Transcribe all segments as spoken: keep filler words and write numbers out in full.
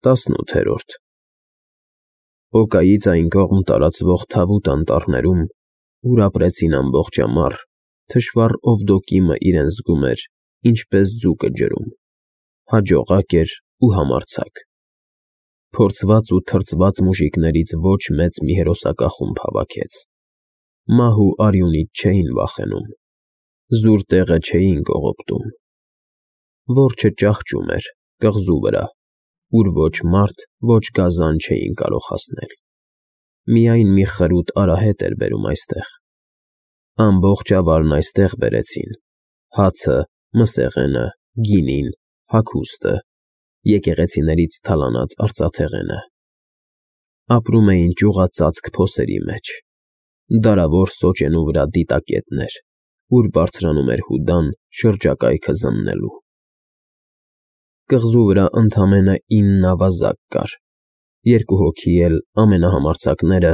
տասնութերորդ Օկայից այն կողմ տարածվող թավուտ անտառներում, ուր ապրեցին ամբողջ ամառ, թշվառ Օվդոկիմը իրեն զգում էր, ինչպես ձուկը ջրում, հաջողակ էր ու համարձակ։ Փորձված ու թրծված մուժիկներից ոչ մեծ մի հերոսակախումբ հավաքեց։ Մահ ու արյունից չէին վախենում, զուր տեղը չէին կողոպտում։ Որջը ճահճում էր, կղզու վրա, ուր ոչ մարդ, ոչ գազան չէին կարող հասնել։ Միայն մի խրուտ արահետ էր բերում այստեղ։ Ամբողջ ավարն այստեղ բերեցին՝ հացը, մսեղենը, գինին, հագուստը, եկեղեցիներից թալանած արծաթեղենը։ Ապրում էին ճյուղածածկ փոսերի մեջ, դարավոր սոճենու վրա դիտակետներ, ուր բարձրանում էր հուդան շրջակայքը զննելու։ Կղզու վրա ընդամենը ինն ավազակ կար, երկու հոգի էլ ամենահամարձակները,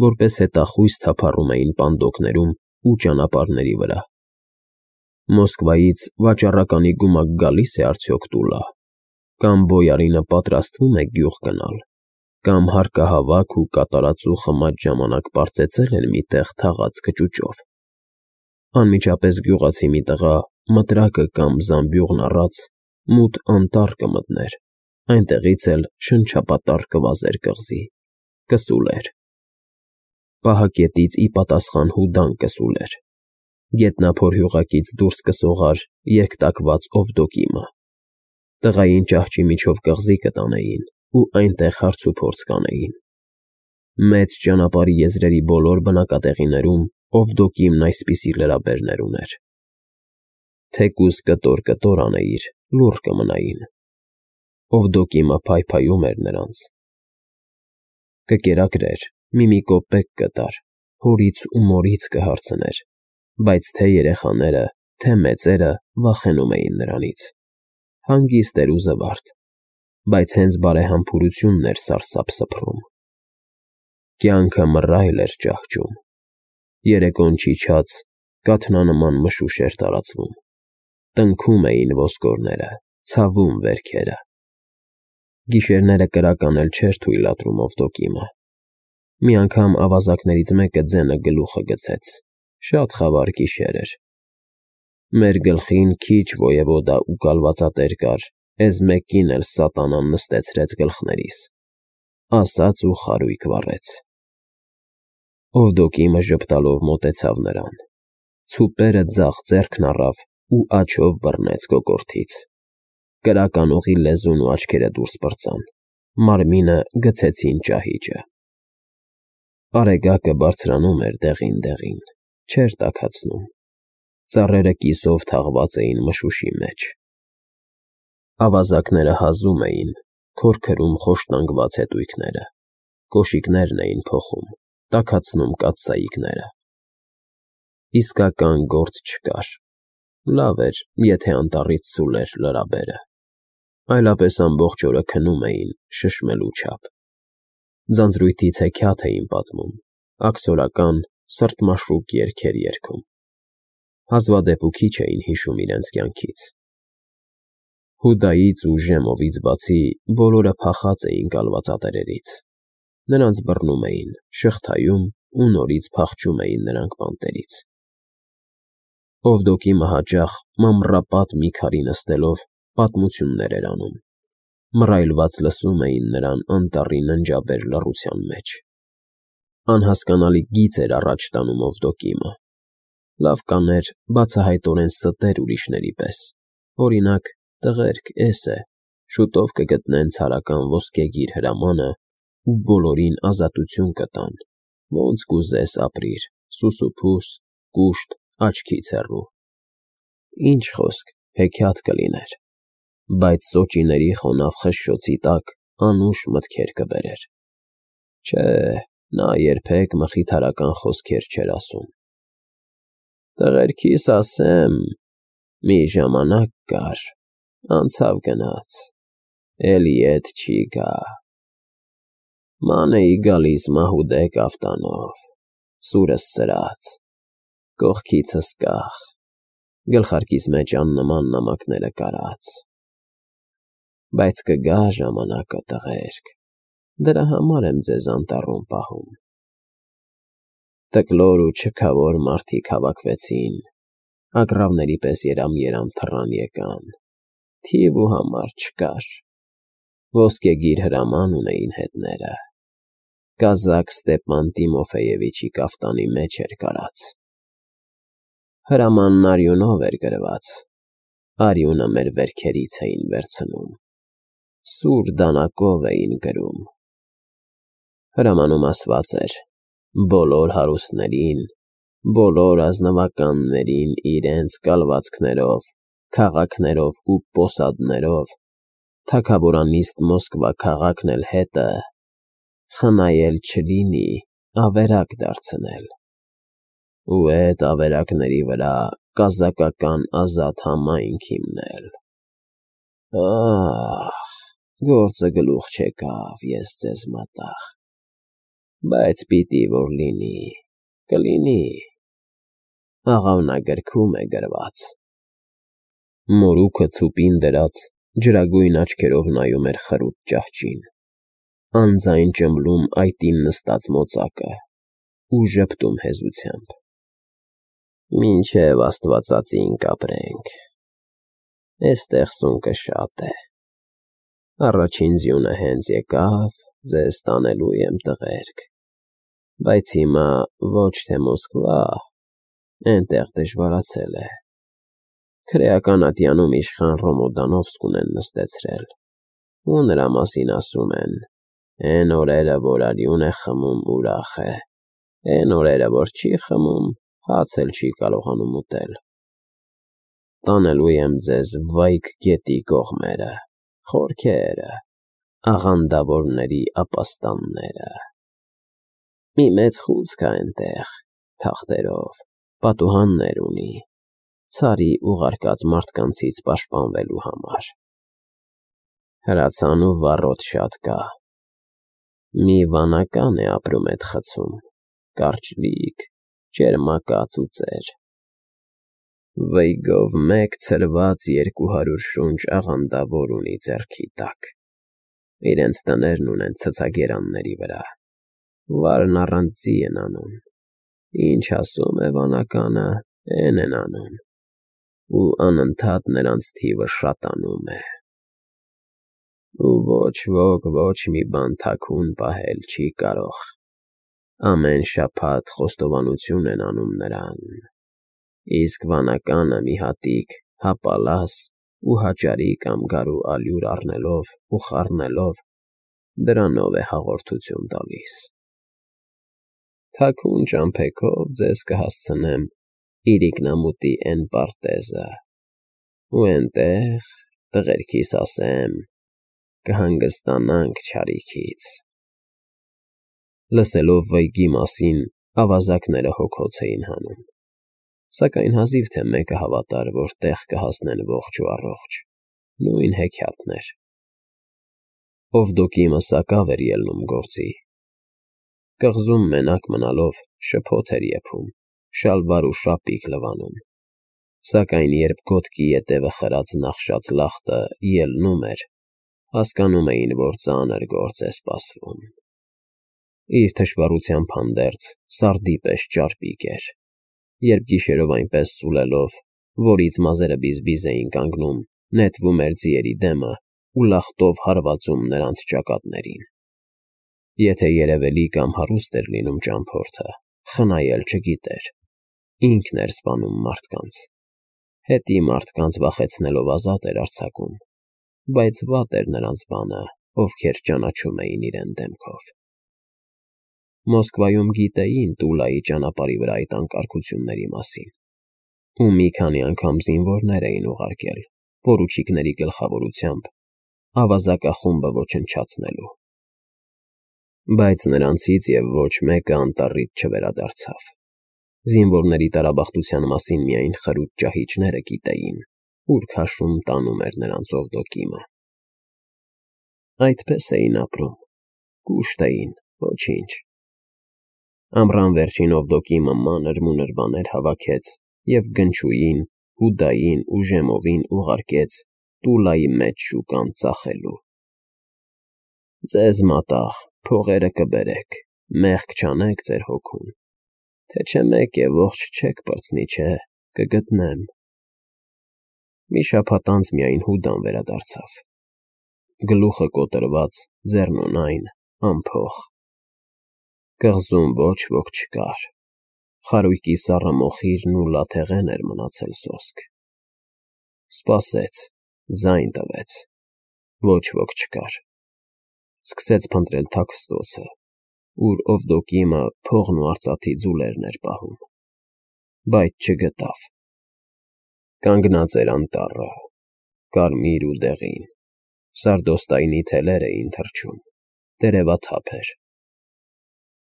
որպես հետախույզ թափառում էին պանդոկներում ու ճանապարհների վրա։ Մոսկվայից վաճառականի գումակ գալի՞ս է արդյոք տուլա, կամ բոյարինը պատրաստվում է գյուղ գնալ, կամ հարկահավաք ու կատարածու խմած ժամանակ պարծեցել են մի տեղ թաղած կճուճով։ Անմիջապես գյուղացի մի տղա, մտրակը կամ զամբյուղն առած, մութ անտառ կմտներ, այնտեղից էլ շնչապատառ կվազեր կղզի, կսուլեր։ Պահակետից ի պատասխան հուդան կսուլեր, գետնափոր հյուղակից դուրս կսողար երկտակված Օվդոկիմը։ Տղային ճահճի միջով կղզի կտանեին ու այնտեղ հարցուփորձ կանեին։ Մեծ ճանապարհի եզրերի բոլոր բնակատեղիներում Օվդոկիմն այսպիսի լրաբերներ ուներ։ Թեկուզ կտոր֊կտոր անեիր, լուռ կմնային։ Օվդոկիմը փայփայում էր նրանց։ Կկերակրեր, մի-մի կոպեկ կտար, հորից ու մորից կհարցներ, բայց թե երեխաները, թե մեծերը վախենում էին նրանից։ Հանգիստ էր ու զվարթ, բայց հենց բարեհամբուրությունն էր սարսափ սփռում։ Կյանքը մռայլ էր ճահճում։ Երեկոն չիջած, կաթնանման մշուշ էր տարածվում։ Տնքում էին ոսկորները, ցավում վերքերը։ Գիշերները կրակն էլ չէր թույլատրում Օվդոկիմը։ Մի անգամ ավազակներից մեկը ձենը գլուխը գցեց, շատ խավար գիշեր էր։ Մեր գլխին քիչ ոևոդա ու կալվածատեր կար, էս մեկին էլ սատանան նստեցրեց գլխներիս, ասաց ու խարույկ վառեց։ Օվդոկիմը ժպտալով մոտեցավ նրան, ցուպերը ձախ ձեռքն առավ ու աջով բռնեց կոկորդից։ Կրականողի լեզուն ու աչքերը դուրս պրծան, մարմինը գցեցին ճահիճը։ Արեգակը բարձրանում էր դեղին֊դեղին, չէր տաքացնում։ Ծառերը կիսով թաղված էին մշուշի մեջ։ Ավազակները հազում էին, քորքրում խոշտանգված հետույքները, կոշիկներն էին փոխում, տաքացնում կաթսայիկները։ Իսկական գործ չկար։ Լավ էր, եթե անտառից սուլեր լրաբերը, այլապես ամբողջ օրը քնում էին, շշմելու չափ։ Ձանձրույթից հեքիաթ էին պատմում, աքսորական, սրտմաշուկ երգեր երգում։ Հազվադեպ ու քիչ էին հիշում իրենց կյանքից։ Հուդայից ու Ժեմովից բացի բոլորը փախած էին կալվածատերերից։ Նրանց բռնում էին, շղթայում ու նորից փախչում էին նրանք բանտերից։ Օվդոկիմը հաճախ մամռապատ մի քարի նստելով պատմություններ էր անում։ Մռայլված լսում էին նրան անտառի ննջաբեր լռության մեջ։ Անհասկանալի գիծ էր առաջ տանում Օվդոկիմը։ Լավ կաներ բացահայտորեն ստեր ուրիշների պես, օրինակ, տղերք, էս է, շուտով կգտնեն ցարական ոսկեգիր հրամանը ու բոլորին ազատություն կտան, ոնց կուզես ապրիր, սուսուփուս, կուշտ, աչքից հեռու։ Ինչ խոսք, հեքիաթ կլիներ, բայց սոճիների խոնավ խշշոցի տակ անուշ մտքեր կբերեր։ Չէ, նա երբեք մխիթարական խոսքեր չէր ասում։ Տղերքիս ասեմ, մի ժամանակ կար, անցավ գնաց, էլի էդ չի գա։ Ման էի գալիս մահուդե կաֆտանով, սուրս սրած, կողքիցս կախ, գլխարկիս մեջ աննման նամակները կարած։ Բայց կգա ժամանակը, տղերք, դրա համար եմ ձեզ անտառում պահում։ Տկլոր ու չքավոր մարդիկ հավաքվեցին, ագռավների պես երամ-երամ թռան եկան, թիվ ու համար չկար, ոսկեգիր հրաման ունեին հետները, կազակ Ստեպան Տիմոֆեևիչի կաֆտանի մեջ էր կարած։ Հրամանն արյունով էր գրված, արյունը մեր վերքերից էին վերցնում, սուր դանակով էին գրում։ Հրամանում ասված էր. բոլոր հարուստներին, բոլոր ազնվականներին իրենց կալվածքներով, քաղաքներով ու պոսադներով, թագավորանիստ Մոսկվա քաղաքն էլ հետը, խնայել չլինի, ավերակ դարձնել, ու էդ ավերակների վրա կազակական ազատ համայնք հիմնել։ Ահ, գործը գլուխ չեկավ, ես ձեզ մատաղ, բայց պիտի որ լինի, կլինի, աղավնագրքում է գրված։ Մորուքը ցուպին դրած, ջրագույն աչքերով նայում էր խրուտ ճահճին, անձայն ճմլում այտին նստած մոծակը ու ժպտում հեզությամբ։ Մինչև աստվածածին կապրենք, էստեղ սունկը շատ է, առաջին ձյունը հենց եկավ, ձեզ տանելու եմ, տղերք, բայց հիմա ոչ թե Մոսկվա, էնտեղ դժվարացել է, քրեական ատյանում իշխան Ռոմոդանովսկուն են նստեցրել, ու նրա մասին ասում են, էն օրերը, որ արյուն է խմում, ուրախ է, էն օրերը, որ չի խմում, հաց էլ չի կարողանում ուտել։ Տանելու եմ ձեզ Վայք գետի կողմերը, խորքերը, աղանդավորների ապաստանները։ Մի մեծ խուց կա էնտեղ, թախտերով, պատուհաններ ունի, ցարի ուղարկած մարդկանցից պաշտպանվելու համար։ Հրացան ու վառոդ շատ կա։ Մի վանական է ապրում էդ խցում, կարճլիկ, ճերմակած ու ծեր։ Վեյգով մեկ ցրված երկու հարյուր շունչ աղանդավոր ունի ձեռքի տակ, իրենց տներն ունեն ցցագերանների վրա, վարն առանց ձի են անում, ինչ ասում է վանականը, էն են անում, ու անընդհատ նրանց թիվը շատանում է։ Ու ոչ ոք ոչ մի բան թաքուն պահել չի կարող, ամեն շաբաթ խոստովանություն են անում նրան, իսկ վանականը մի հատիկ հապալաս ու հաճարի կամ գարու ալյուր առնելով ու խառնելով, դրանով է հաղորդություն տալիս։ Թաքուն ճամփեքով ձեզ կհասցնեմ իրիկնամուտի էն պարտեզը, ու էնտեղ, տղերքիս ասեմ, կհանգստանանք չարիքից։ Լսելով Վեյգի մասին, ավազակները հոգոց էին հանում, սակայն հազիվ թե մեկը հավատար, որ տեղ կհասնեն ողջ ու առողջ, նույն հեքիաթներ։ Օվդոկիմը սակավ էր ելնում գործի։ Կղզում մենակ մնալով շփոթ էր եփում, շալվար ու շապիկ լվանում, սակայն երբ գոտքի ետևը խրած նախշած լախտը ելնում էր, հասկանում էին, որ ծանր գործ է սպասվում։ Իր թշվառությամբ հանդերձ սարդի պես ճարպիկ էր, երբ գիշերով այնպես սուլելով, որից մազերը բիզբիզ էին կանգնում, նետվում էր ձիերի դեմը ու լախտով հարվածում նրանց ճակատներին։ Եթե երևելի կամ հարուստ էր լինում ճամփորդը, խնայել չգիտեր, ինքն էր սպանում մարդկանց, հետի մարդկանց վախեցնելով ազատ էր արձակում, բայց վատ էր նրանց բանը, ովքեր ճանաչում էին իրեն դեմքով։ Մոսկվայում գիտեին Տուլայի ճանապարհի վրա այդ անկարգությունների մասին, ու մի քանի անգամ զինվորներ էին ուղարկել, պորուչիկների գլխավորությամբ, ավազակախումբը ոչնչացնելու։ Բայց նրանցից և ոչ մեկը անտառից չվերադարձավ։ Զինվորների տարաբախտության մասին միայն խրուտ ճահիճները գիտեին, ուր քաշում տանում էր նրանց Օվդոկիմը։ Այդպես էին ապրում, կուշտ էին, ոչինչ։ Ամռան վերջին Օվդոկիմը մանր-մունր բաներ հավաքեց և Գնչուին, Հուդային ու Ժեմովին ուղարկեց Տուլայի մեջ շուկան ծախելու։ Ձեզ մատաղ, փողերը կբերեք, մեղք չանեք ձեր հոգուն, թե չէ մեկ է ողջ չեք պրծնի, չէ, կգտնեմ։ Մի շաբաթ անց միայն Հուդան վերադարձավ, գլուխը կոտրված, ձեռնունայն, անփող։ Կղզում ոչ ոք չկար, խարույկի սառը մոխիրն ու լաթեղեն էր մնացել սոսկ։ Սպասեց, ձայն տվեց, ոչ ոք չկար։ Սկսեց փնտրել թաքստոցը, ուր Օվդոկիմը փողն ու արծաթի ձուլերն էր պահում, բայց չգտավ։ Կանգնած էր անտառը, կարմիր ու դեղին, սարդոստայնի թելեր էին թռչում, տերևաթափ էր։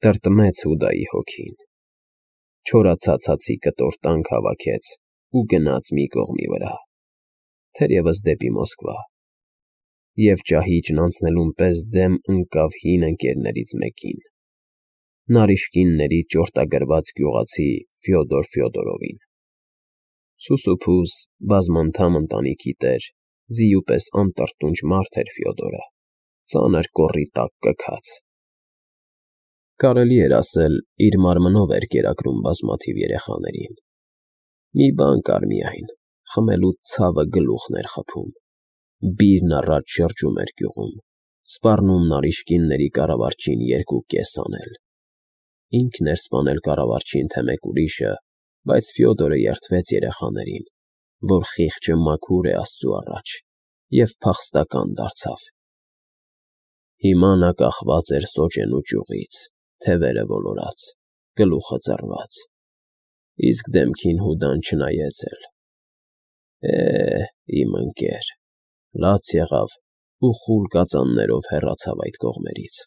Տրտմեց Հուդայի հոգին, չորացած հացի կտոր տանկ հավաքեց ու գնաց մի կողմի վրա, թերևս դեպի Մոսկվա, և ճահիճն անցնելուն պես դեմ ընկավ հին ընկերներից մեկին, նարինջկինների ճորտագրված գյուղացի Ֆյոդոր Ֆյոդորովին։ Սուսուփուզ, բազմանդամ ընտանիքի տեր, ձիու պես անտրտունջ մարդ էր Ֆյոդորը, ծանր կոռի տակ կքած։ Կարելի էր ասել, իր մարմնով էր կերակրում բազմաթիվ երեխաներին։ Մի բան կար միայն, խմելուց ցավը գլուխն էր խփում։ Բիրն առաջ շրջում էր գյուղում, սպառնում նարինջկինների կառավարչին երկու կես անել։ Ինքն էր սպանել կառավարչին, թե մեկ ուրիշը, բայց Ֆյոդորը երդվեց երեխաներին, որ խիղճը մաքուր է Աստծու առաջ, և փախստական դարձավ։ Հիմա նա կախված էր սոճենու ճյուղից, թևերը ոլորած, գլուխը ձռված, իսկ դեմքին Հուդան չնայեց էլ։ Է, իմ ընկեր, լաց եղավ ու խուլ կածաններով հեռացավ այդ կողմերից։